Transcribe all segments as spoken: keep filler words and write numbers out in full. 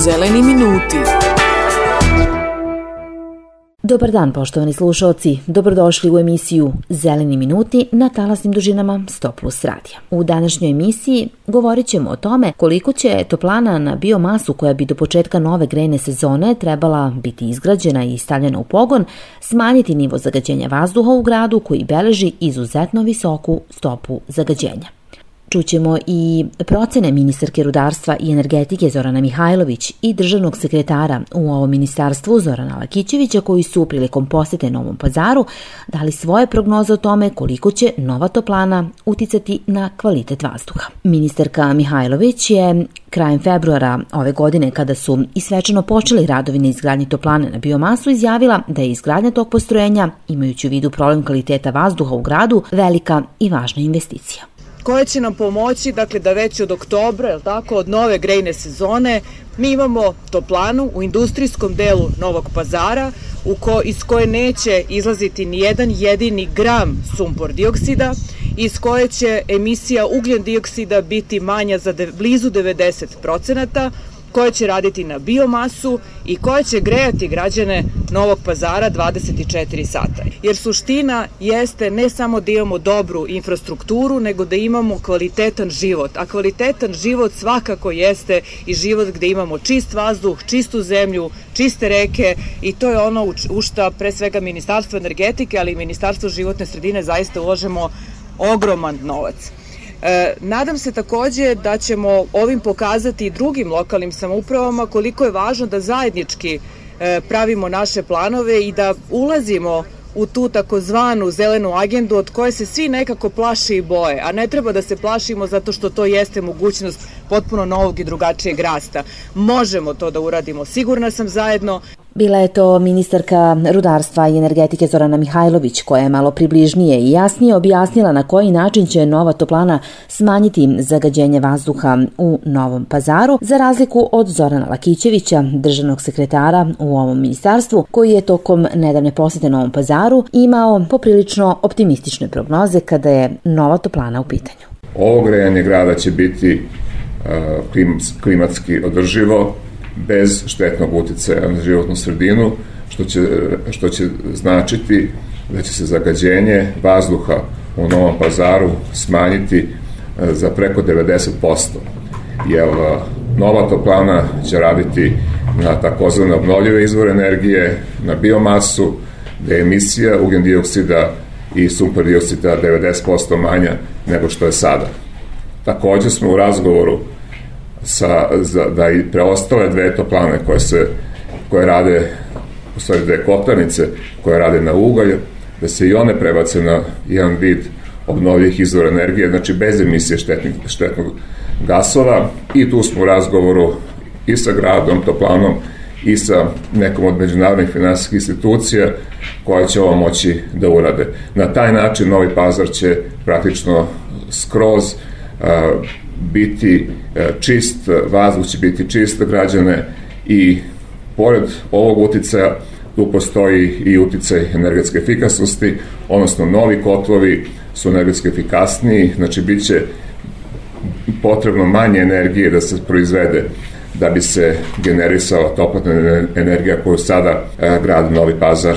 Zeleni minuti. Dobar dan, poštovani slušalci. Dobrodošli u emisiju Zeleni minuti na talasnim dužinama sto plus radija. U današnjoj emisiji govorit ćemo o tome koliko će toplana na biomasu koja bi do početka nove grejne sezone trebala biti izgrađena i stavljena u pogon smanjiti nivo zagađenja vazduha u gradu koji beleži izuzetno visoku stopu zagađenja. Čućemo i procene ministarke rudarstva i energetike Zorana Mihajlović i državnog sekretara u ovom ministarstvu Zorana Lakićevića koji su prilikom posete Novom Pazaru dali svoje prognoze o tome koliko će nova toplana uticati na kvalitet vazduha. Ministarka Mihajlović je krajem februara ove godine, kada su i svečano počeli radovi na izgradnji toplane na biomasu, izjavila da je izgradnja tog postrojenja, imajući u vidu problem kvaliteta vazduha u gradu, velika i važna investicija. Koja će nam pomoći, dakle, da već od oktobra, jel tako, od nove grejne sezone, mi imamo toplanu u industrijskom delu Novog Pazara u ko, iz koje neće izlaziti ni jedan jedini gram sumpor dioksida, iz koje će emisija ugljen dioksida biti manja za de, blizu devedeset procenata, koja će raditi na biomasu i koja će grejati građane Novog Pazara dvadeset četiri sata. Jer suština jeste ne samo da imamo dobru infrastrukturu, nego da imamo kvalitetan život. A kvalitetan život svakako jeste i život gde imamo čist vazduh, čistu zemlju, čiste reke i to je ono u šta pre svega Ministarstvo energetike, ali i Ministarstvo životne sredine zaista ulažemo ogroman novac. E, nadam se takođe da ćemo ovim pokazati i drugim lokalnim samoupravama koliko je važno da zajednički e, pravimo naše planove i da ulazimo u tu takozvanu zelenu agendu od koje se svi nekako plaše i boje, a ne treba da se plašimo zato što to jeste mogućnost potpuno novog i drugačijeg rasta. Možemo to da uradimo, sigurna sam, zajedno. Bila je to ministarka rudarstva i energetike Zorana Mihajlović koja je malo približnije i jasnije objasnila na koji način će nova toplana smanjiti zagađenje vazduha u Novom Pazaru, za razliku od Zorana Lakićevića, državnog sekretara u ovom ministarstvu, koji je tokom nedavne posete Novom Pazaru imao poprilično optimistične prognoze kada je nova toplana u pitanju. Ovo grejanje grada će biti uh, klimatski održivo, bez štetnog uticaja na životnu sredinu, što će, što će značiti da će se zagađenje vazduha u Novom Pazaru smanjiti za preko devedeset posto. Jer nova toplana će raditi na takozvane obnovljive izvore energije, na biomasu, da je emisija ugljen dioksida i sumpor dioksida devedeset posto manja nego što je sada. Takođe smo u razgovoru Sa, za, da i preostale dve toplane koje se koje rade, u stvari dve kotlarnice koje rade na ugalj, da se i one prebace na jedan vid obnovljivih izvora energije, znači bez emisije štetnih, štetnog gasova, i tu smo u razgovoru i sa gradom, toplanom, i sa nekom od međunarodnih finansijskih institucija koje će ovo moći da urade. Na taj način Novi Pazar će praktično skroz uh, biti čist, vazduh će biti čist građane i pored ovog uticaja tu postoji i uticaj energetske efikasnosti, odnosno novi kotlovi su energetski efikasniji, znači bit će potrebno manje energije da se proizvede da bi se generisala toplotna energija koju sada grad Novi Pazar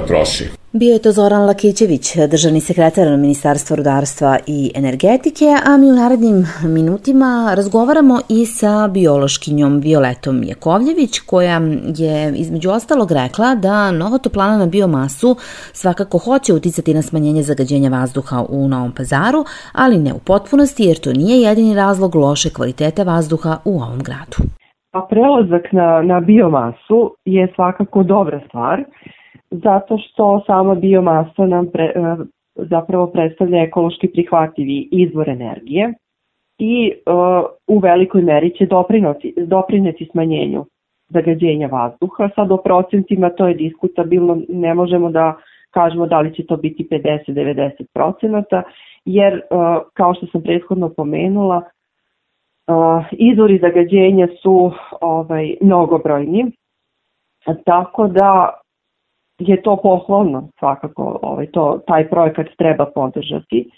troši. Bio je to Zoran Lakićević, državni sekretar Ministarstva rudarstva i energetike, a mi u narednim minutima razgovaramo i sa biološkinjom Violetom Jakovljević, koja je između ostalog rekla da nova toplana na biomasu svakako hoće uticati na smanjenje zagađenja vazduha u Novom Pazaru, ali ne u potpunosti, jer to nije jedini razlog loše kvaliteta vazduha u ovom gradu. Pa prelazak na, na biomasu je svakako dobra stvar, zato što sama biomasa nam pre, zapravo predstavlja ekološki prihvatljivi izvor energije i uh, u velikoj meri će doprineti, doprineti smanjenju zagađenja vazduha. Sad o procentima to je diskutabilno, ne možemo da kažemo da li će to biti pedeset do devedeset procenata, jer uh, kao što sam prethodno pomenula, uh, izvori zagađenja su ovaj, mnogobrojni, tako da je to pohvalno, svakako ovaj, to, taj projekat treba podržati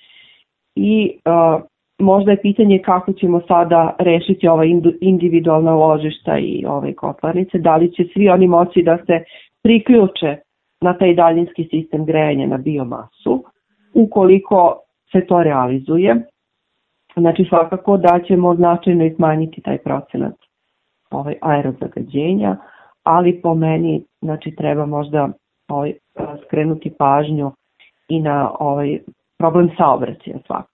i uh, možda je pitanje kako ćemo sada rešiti ova individualna ložišta i ove kotlarnice, da li će svi oni moći da se priključe na taj daljinski sistem grejanja na biomasu, ukoliko se to realizuje. Znači svakako da ćemo značajno smanjiti taj procenat ovaj, aerozagađenja, ali po meni znači, treba možda ovaj, skrenuti pažnju i na ovaj problem saobraćaja svakako.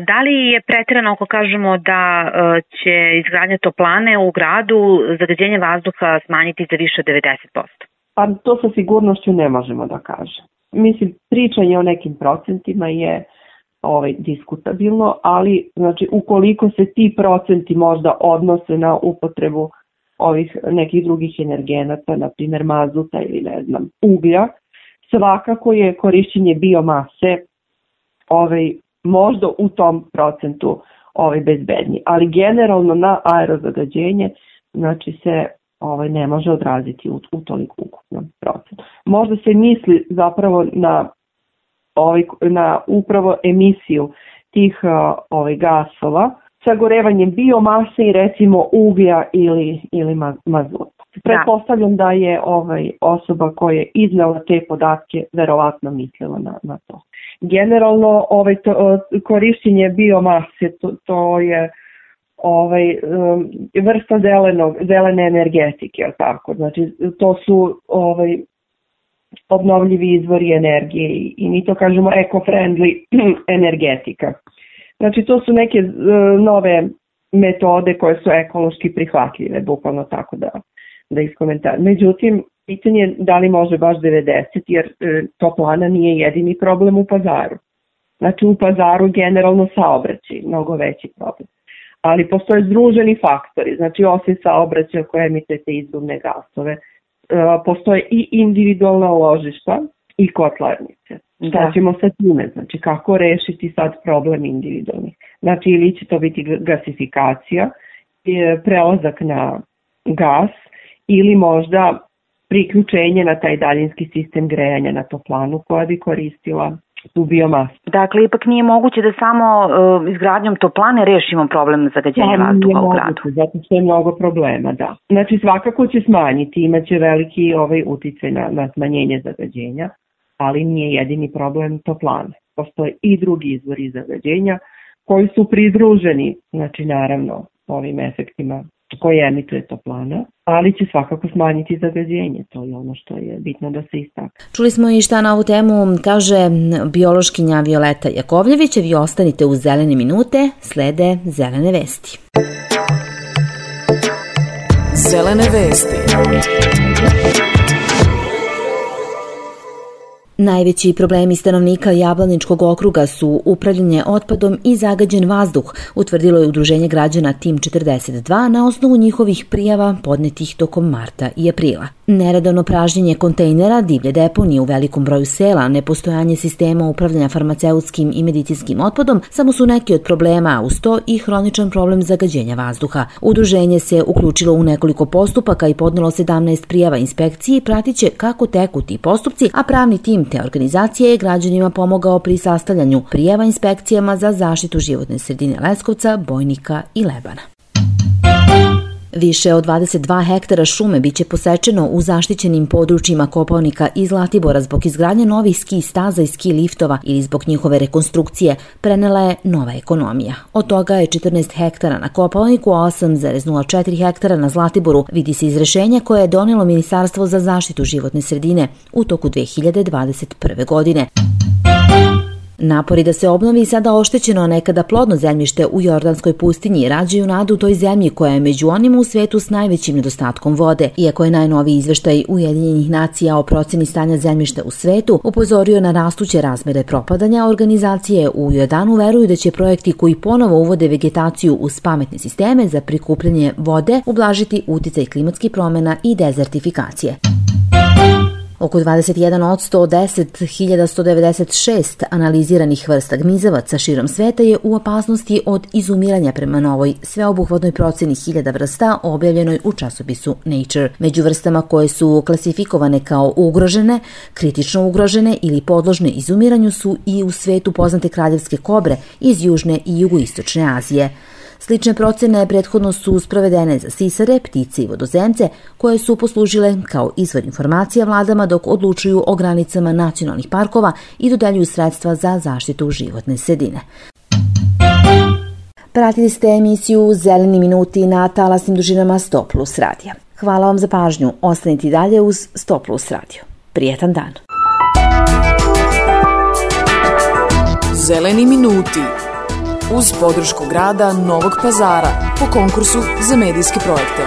Da li je preterano ako kažemo da će izgradnja toplane u gradu zagađenje vazduha smanjiti za više od devedeset posto? Pa to sa sigurnošću ne možemo da kažem. Mislim, pričanje o nekim procentima je ovaj, diskutabilno, ali znači, ukoliko se ti procenti možda odnose na upotrebu ovih nekih drugih energenata, na primjer mazuta ili ne znam, uglja, svakako je korišćenje biomase ovaj, možda u tom procentu ovaj, bezbedniji. Ali generalno na aerozagađenje znači se ovaj, ne može odraziti u, u toliko ukupnom procentu. Možda se misli zapravo na, ovaj, na upravo emisiju tih ovaj, gasova, sagorevanjem biomase i recimo uglja ili, ili mazuta. Pretpostavljam da je ovaj, osoba koja je iznala te podatke verovatno mislila na, na to. Generalno ovaj, to, korišćenje biomase to, to je ovaj, vrsta zelenog, zelene energetike, tako? Znači, to su ovaj, obnovljivi izvori energije i, i mi to kažemo eco-friendly energetika. Znači to su neke uh, nove metode koje su ekološki prihvatljive, bukvalno tako da, da iskomentarišem. Međutim, pitanje je da li može baš devedeset, jer uh, toplana nije jedini problem u Pazaru. Znači u Pazaru generalno saobraćaj, mnogo veći problem. Ali postoje združeni faktori, znači osim saobraćaja koje emituje te izduvne gasove, uh, postoje i individualna ložišta i kotlarnice. Šta ćemo sa time? Znači kako rešiti sad problem individualnih? Znači ili će to biti gasifikacija, prelazak na gas ili možda priključenje na taj daljinski sistem grejanja na toplanu koja bi koristila tu biomasu. Dakle, ipak nije moguće da samo uh, izgradnjom toplane rešimo problem zagađenja vazduha u gradu. Zato što je mnogo problema, da. Znači svakako će smanjiti, imaće veliki ovaj uticaj na, na smanjenje zagađenja, ali nije jedini problem toplane. Postoje i drugi izvori zagađenja koji su pridruženi, znači naravno ovim efektima koje emituje toplana, ali će svakako smanjiti zagađenje. To je ono što je bitno da se istakne. Čuli smo i šta na ovu temu kaže biološkinja Violeta Jakovljević. Vi ostanite uz Zelene minute, slede Zelene vesti. Zelene vesti. Najveći problemi stanovnika Jablaničkog okruga su upravljanje otpadom i zagađen vazduh, utvrdilo je Udruženje građana Tim četrdeset dva na osnovu njihovih prijava podnetih tokom marta i aprila. Neredovno pražnjenje kontejnera, divlje deponije u velikom broju sela, nepostojanje sistema upravljanja farmaceutskim i medicinskim otpadom samo su neki od problema, a uz to i hroničan problem zagađenja vazduha. Udruženje se uključilo u nekoliko postupaka i podnelo sedamnaest prijava inspekciji i pratiće kako teku ti postupci, a pravni tim te organizacije je građanima pomogao pri sastavljanju prijava inspekcijama za zaštitu životne sredine Leskovca, Bojnika i Lebana. Više od dvadeset dva hektara šume biće posečeno u zaštićenim područjima Kopaonika i Zlatibora zbog izgradnje novih ski staza i ski liftova ili zbog njihove rekonstrukcije, prenela je Nova ekonomija. Od toga je četrnaest hektara na Kopaoniku, a osam zarez nula četiri hektara na Zlatiboru, vidi se iz rešenja koje je donelo Ministarstvo za zaštitu životne sredine u toku dve hiljade dvadeset prve. godine. Napori da se obnovi sada oštećeno nekada plodno zemljište u Jordanskoj pustinji rađaju nadu toj zemlji koja je među onima u svetu s najvećim nedostatkom vode. Iako je najnoviji izveštaj Ujedinjenih nacija o proceni stanja zemljišta u svetu upozorio na rastuće razmere propadanja, organizacije u Jordanu veruju da će projekti koji ponovo uvode vegetaciju uz pametne sisteme za prikupljanje vode ublažiti uticaj klimatskih promjena i dezertifikacije. Oko dvadeset jedan posto od deset hiljada sto devedeset šest analiziranih vrsta gmizavaca širom sveta je u opasnosti od izumiranja prema novoj sveobuhvatnoj proceni hiljada vrsta objavljenoj u časopisu Nature. Među vrstama koje su klasifikovane kao ugrožene, kritično ugrožene ili podložne izumiranju su i u svetu poznate kraljevske kobre iz južne i jugoistočne Azije. Slične procene prethodno su sprovedene za sisare, ptice i vodozemce, koje su poslužile kao izvor informacija vladama dok odlučuju o granicama nacionalnih parkova i dodeljuju sredstva za zaštitu životne sredine. Pratili ste emisiju Zeleni minuti na talasnim dužinama sto plus radija. Hvala vam za pažnju. Ostanite i dalje uz sto plus radio. Prijetan dan. Zeleni minuti uz podršku grada Novog Pazara po konkursu za medijske projekte.